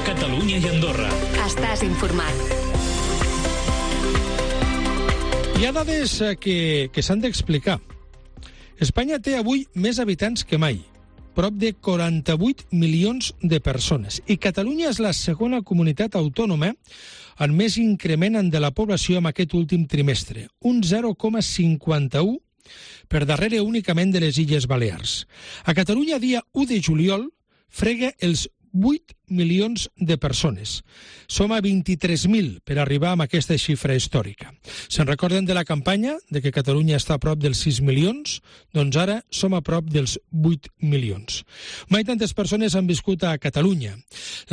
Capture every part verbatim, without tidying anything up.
Catalunya i Andorra. Estàs informat. Hi ha dades que, que s'han d'explicar. Espanya té avui més habitants que mai, prop de quaranta-vuit milions de persones. I Catalunya és la segona comunitat autònoma amb més increment de la població en aquest últim trimestre, un zero coma cinquanta-u per darrere únicament de les Illes Balears. A Catalunya, dia u de juliol, frega els vuit milions de persones. Som a vint-i-tres mil per arribar a aquesta xifra històrica. Se'n recorden de la campanya de que Catalunya està a prop dels sis milions? Doncs ara som a prop dels vuit milions. Mai tantes persones han viscut a Catalunya.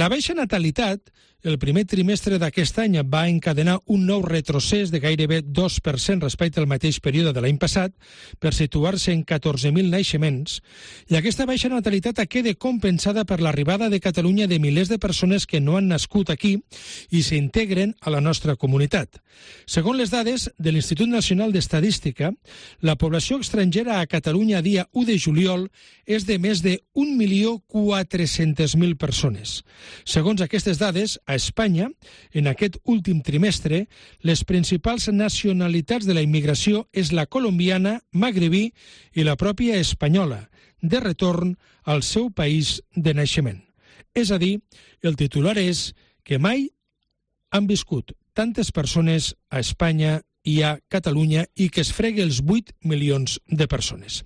La baixa natalitat, el primer trimestre d'aquest any, va encadenar un nou retrocés de gairebé dos per cent respecte al mateix període de l'any passat, per situar-se en catorze mil naixements, i aquesta baixa natalitat queda compensada per l'arribada de Catalunya de milers de persones que no han nascut aquí i s'integren a la nostra comunitat. Segons les dades de l'Institut Nacional d'Estadística, la població estrangera a Catalunya dia u de juliol és de més de un milió quatre-cents mil persones. Segons aquestes dades, a Espanya, en aquest últim trimestre, les principals nacionalitats de la immigració és la colombiana, magrebí i la pròpia espanyola, de retorn al seu país de naixement. És a dir, el titular és que mai han viscut tantes persones a Espanya i a Catalunya i que es fregui els vuit milions de persones.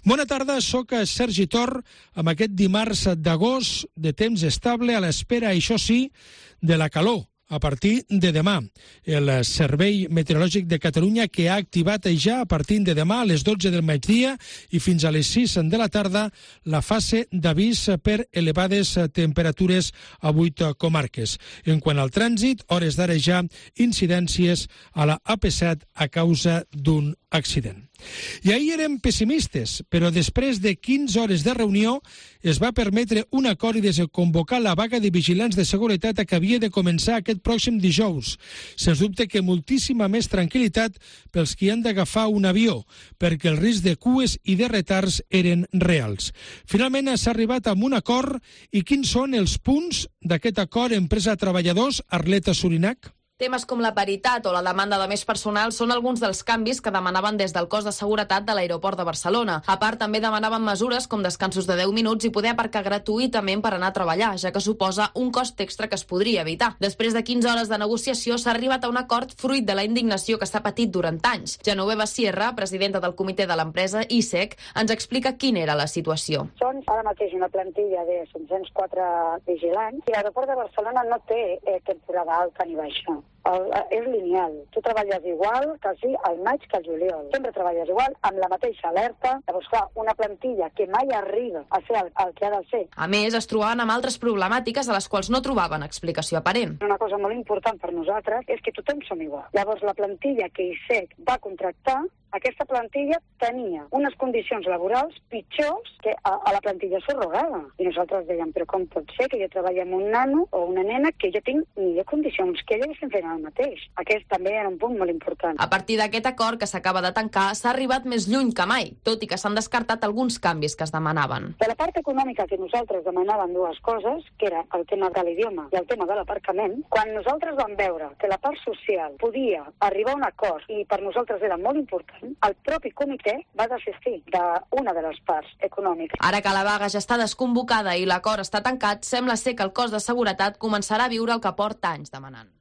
Bona tarda, soc Sergi Tor amb aquest dimarts d'agost de temps estable a l'espera, això sí, de la calor. A partir de demà, el Servei Meteorològic de Catalunya, que ha activat ja a partir de demà a les dotze del migdia i fins a les sis de la tarda la fase d'avís per elevades temperatures a vuit comarques. En quant al trànsit, hores d'ara ja incidències a la A P set a causa d'un accident. I ahir érem pessimistes, però després de quinze hores de reunió es va permetre un acord i desconvocar la vaga de vigilants de seguretat que havia de començar aquest pròxim dijous. Sens dubte que moltíssima més tranquil·litat pels qui han d'agafar un avió, perquè el risc de cues i de retards eren reals. Finalment s'ha arribat a un acord, i quins són els punts d'aquest acord empresa-treballadors, Arleta Surinac? Temes com la paritat o la demanda de més personal són alguns dels canvis que demanaven des del cos de seguretat de l'aeroport de Barcelona. A part, també demanaven mesures com descansos de deu minuts i poder aparcar gratuïtament per anar a treballar, ja que suposa un cost extra que es podria evitar. Després de quinze hores de negociació s'ha arribat a un acord fruit de la indignació que s'ha patit durant anys. Genoveva Sierra, presidenta del comitè de l'empresa I S E C, ens explica quina era la situació. Són ara mateix una plantilla de cinc-cents quatre vigilants i l'aeroport de Barcelona no té eh, temporada alta ni baixa. El, és lineal. Tu treballes igual quasi al maig que al juliol. Sempre treballes igual, amb la mateixa alerta. Llavors, clar, una plantilla que mai arriba a ser el, el que ha de ser. A més, es trobaven amb altres problemàtiques a les quals no trobaven explicació aparent. Una cosa molt important per nosaltres és que tothom som igual. Llavors, la plantilla que I S E C va contractar, aquesta plantilla tenia unes condicions laborals pitjors que a, a la plantilla subrogada. I nosaltres dèiem, però com pot ser que jo treballi amb un nano o una nena que jo tinc millor condicions que ella que estem fent el mateix? Aquest també era un punt molt important. A partir d'aquest acord que s'acaba de tancar, s'ha arribat més lluny que mai, tot i que s'han descartat alguns canvis que es demanaven. De la part econòmica que nosaltres demanàvem dues coses, que era el tema de l'idioma i el tema de l'aparcament, quan nosaltres vam veure que la part social podia arribar a un acord i per nosaltres era molt important, el propi comitè va desistir d'una de les parts econòmiques. Ara que la vaga ja està desconvocada i l'acord està tancat, sembla ser que el cos de seguretat començarà a viure el que porta anys demanant.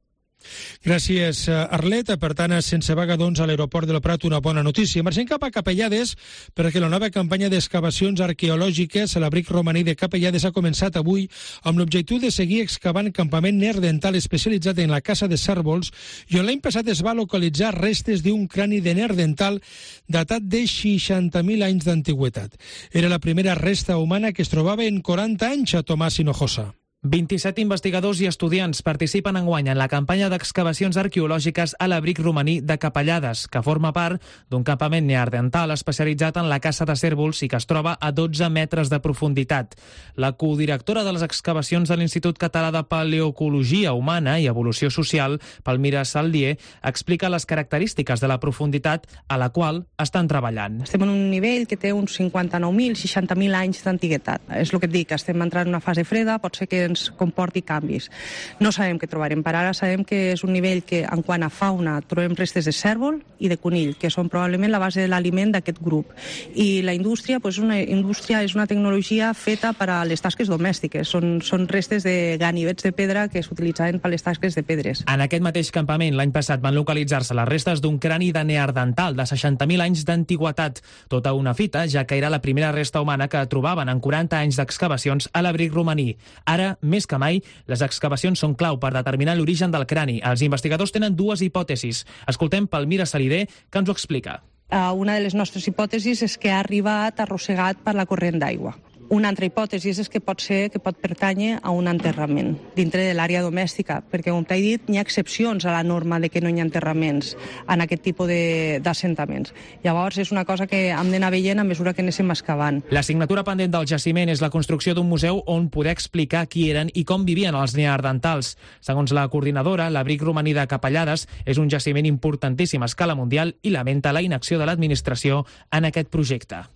Gràcies, Arlet. Per tant, sense vaga, doncs, a l'aeroport del Prat, una bona notícia. Marxem cap a Capellades, perquè la nova campanya d'excavacions arqueològiques a l'abric romaní de Capellades ha començat avui amb l'objectiu de seguir excavant campament neandertal especialitzat en la caça de cérvols, i on l'any passat es va localitzar restes d'un crani de neandertal datat de seixanta mil anys d'antiguitat. Era la primera resta humana que es trobava en quaranta anys a Tomàs Hinojosa. vint-i-set investigadors i estudiants participen enguany en la campanya d'excavacions arqueològiques a l'abric romaní de Capellades, que forma part d'un campament neandertal especialitzat en la caça de cérvols i que es troba a dotze metres de profunditat. La codirectora de les excavacions de l'Institut Català de Paleoecologia Humana i Evolució Social, Palmira Saldier, explica les característiques de la profunditat a la qual estan treballant. Estem en un nivell que té uns cinquanta-nou mil, seixanta mil anys d'antiguitat. És el que et dic, estem entrant en una fase freda, pot ser que ens comporti canvis. No sabem què trobarem. Per ara sabem que és un nivell que, en quant a fauna, trobem restes de cérvol i de conill, que són probablement la base de l'aliment d'aquest grup. I la indústria, doncs una indústria és una tecnologia feta per a les tasques domèstiques. Són, són restes de ganivets de pedra que s'utilitzaven per les tasques de pedres. En aquest mateix campament, l'any passat, van localitzar-se les restes d'un crani de neandertal de seixanta mil anys d'antiguitat. Tota una fita, ja que era la primera resta humana que trobaven en quaranta anys d'excavacions a l'abric romaní. Ara, més que mai, les excavacions són clau per determinar l'origen del crani. Els investigadors tenen dues hipòtesis. Escoltem Palmira Salidé, que ens ho explica. Uh, una de les nostres hipòtesis és que ha arribat arrossegat per la corrent d'aigua. Una altra hipòtesi és que pot ser que pot pertànyer a un enterrament dintre de l'àrea domèstica, perquè, com t'he dit, hi ha excepcions a la norma de que no hi ha enterraments en aquest tipus d'assentaments. Llavors, és una cosa que hem d'anar veient a mesura que anem excavant. L'assignatura pendent del jaciment és la construcció d'un museu on poder explicar qui eren i com vivien els neandertals. Segons la coordinadora, l'abric romaní de Capellades és un jaciment importantíssim a escala mundial i lamenta la inacció de l'administració en aquest projecte.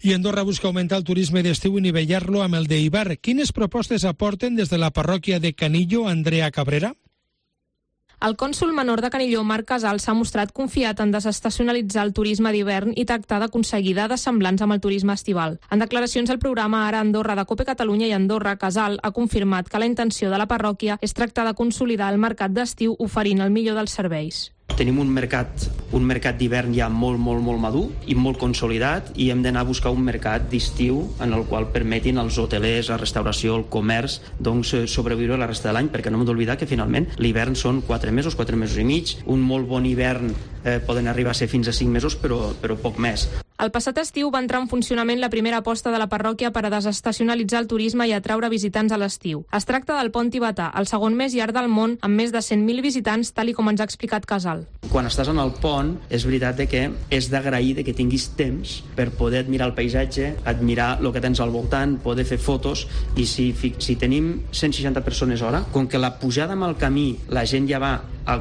I Andorra busca augmentar el turisme d'estiu i nivellar-lo amb el d'hivern. Quines propostes aporten des de la parròquia de Canillo, Andrea Cabrera? El cònsol menor de Canillo, Marc Casal, s'ha mostrat confiat en desestacionalitzar el turisme d'hivern i tractar d'aconseguir dades semblants amb el turisme estival. En declaracions al programa Ara Andorra de COPE Catalunya i Andorra, Casal ha confirmat que la intenció de la parròquia és tractar de consolidar el mercat d'estiu oferint el millor dels serveis. Tenim un mercat, un mercat d'hivern ja molt, molt, molt madur i molt consolidat i hem d'anar a buscar un mercat d'estiu en el qual permetin als hotelers, la restauració, el comerç, doncs sobreviure la resta de l'any, perquè no hem d'oblidar que finalment l'hivern són quatre mesos, quatre mesos i mig. Un molt bon hivern eh, poden arribar a ser fins a cinc mesos, però, però poc més. El passat estiu va entrar en funcionament la primera aposta de la parròquia per a desestacionalitzar el turisme i atraure visitants a l'estiu. Es tracta del pont tibetà, el segon més llarg del món, amb més de cent mil visitants, tal i com ens ha explicat Casal. Quan estàs en el pont, és veritat que és d'agrair que tinguis temps per poder admirar el paisatge, admirar el que tens al voltant, poder fer fotos, i si, si tenim cent seixanta persones hora, com que la pujada amb el camí, la gent ja va,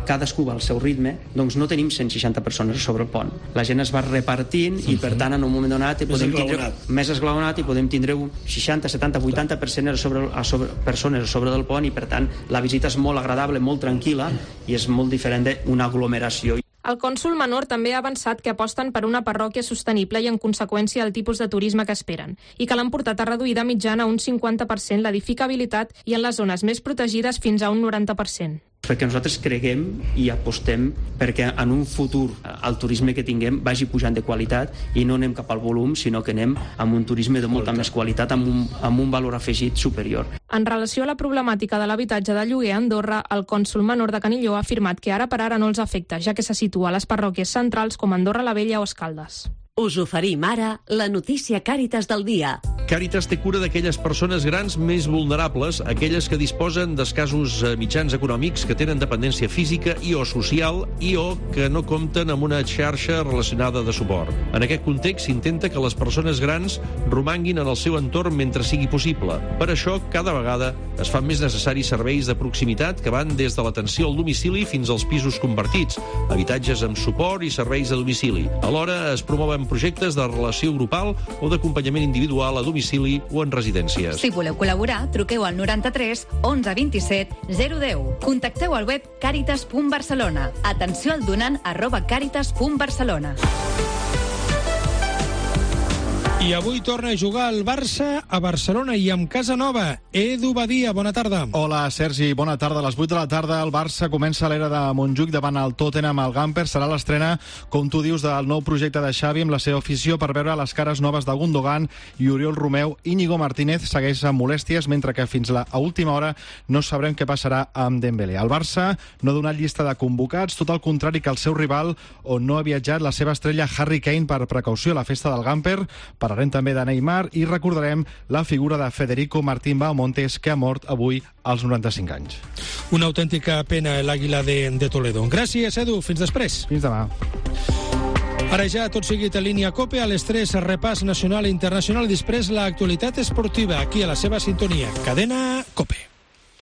cadascú va al seu ritme, doncs no tenim cent seixanta persones sobre el pont. La gent es va repartint i, per tant, en un moment donat podem tindre més esglaonat i podem tindre un seixanta, setanta, vuitanta persones sobre, a sobre, persones sobre del pont, i, per tant, la visita és molt agradable, molt tranquil·la i és molt diferent d'una aglomeració. El cònsol menor també ha avançat que aposten per una parròquia sostenible i, en conseqüència, el tipus de turisme que esperen, i que l'han portat a reduir de mitjana un cinquanta per cent l'edificabilitat i en les zones més protegides fins a un noranta per cent. Perquè nosaltres creguem i apostem perquè en un futur el turisme que tinguem vagi pujant de qualitat i no anem cap al volum, sinó que anem amb un turisme de molta més qualitat, amb un, amb un valor afegit superior. En relació a la problemàtica de l'habitatge de lloguer a Andorra, el cònsol menor de Canillo ha afirmat que ara per ara no els afecta, ja que se situa a les parròquies centrals com Andorra la Vella o Escaldes. Us oferim ara la notícia Càritas del dia. Càritas té cura d'aquelles persones grans més vulnerables, aquelles que disposen d'escassos mitjans econòmics, que tenen dependència física i o social i o que no compten amb una xarxa relacionada de suport. En aquest context s'intenta que les persones grans romanguin en el seu entorn mentre sigui possible. Per això, cada vegada es fan més necessaris serveis de proximitat que van des de l'atenció al domicili fins als pisos compartits, habitatges amb suport i serveis a domicili. Alhora es promouen projectes de relació grupal o d'acompanyament individual a domicili o en residències. Si voleu col·laborar, truqueu al noranta-tres onze vint-i-set zero deu. Contacteu al web caritas punt barcelona. Atenció al donant arroba caritas punt barcelona. I avui torna a jugar el Barça a Barcelona i amb casa nova. Edu Badia, bona tarda. Hola, Sergi, bona tarda. A les vuit de la tarda el Barça comença l'era de Montjuïc davant el Tottenham al Gamper. Serà l'estrena, com tu dius, del nou projecte de Xavi amb la seva afició per veure les cares noves de Gundogan i Oriol Romeu. Íñigo Martínez segueix amb molèsties, mentre que fins a última hora no sabrem què passarà amb Dembélé. El Barça no ha donat llista de convocats, tot el contrari que el seu rival, on no ha viatjat la seva estrella Harry Kane per precaució a la festa del Gamper. Parlarem també de Neymar i recordarem la figura de Federico Martín Bahamontes, que ha mort avui als noranta-cinc anys. Una autèntica pena l'Àguila de, de Toledo. Gràcies, Edu. Fins després. Fins demà. Ara ja tot seguit a línia COPE, a les tres repàs nacional i internacional, i després l'actualitat esportiva aquí a la seva sintonia. Cadena COPE.